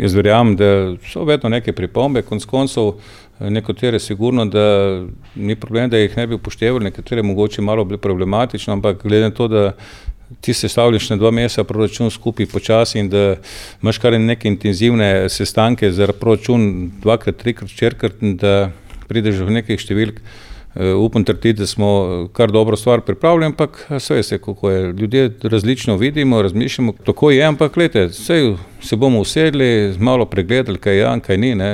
Jaz verjamem, da so vedno neke pripombe, konec koncev nekatere sigurno, da ni problem, da jih ne bi upoštevali, nekatere mogoče malo bili problematično, ampak glede na to, da ti sestavljaš na 2 meseca proračun skupaj počasi in da imaš kar neke intenzivne sestanke za proračun 2-krat, 3-krat, 4-krat, da prideš v nekih številk. Upam trditi, da smo kar dobro stvar pripravili, ampak vse veste, kako je. Ljudje različno vidimo, razmišljamo, tako je, ampak glejte, saj se bomo usedli, malo pregledali, kaj je, kaj ni, ne.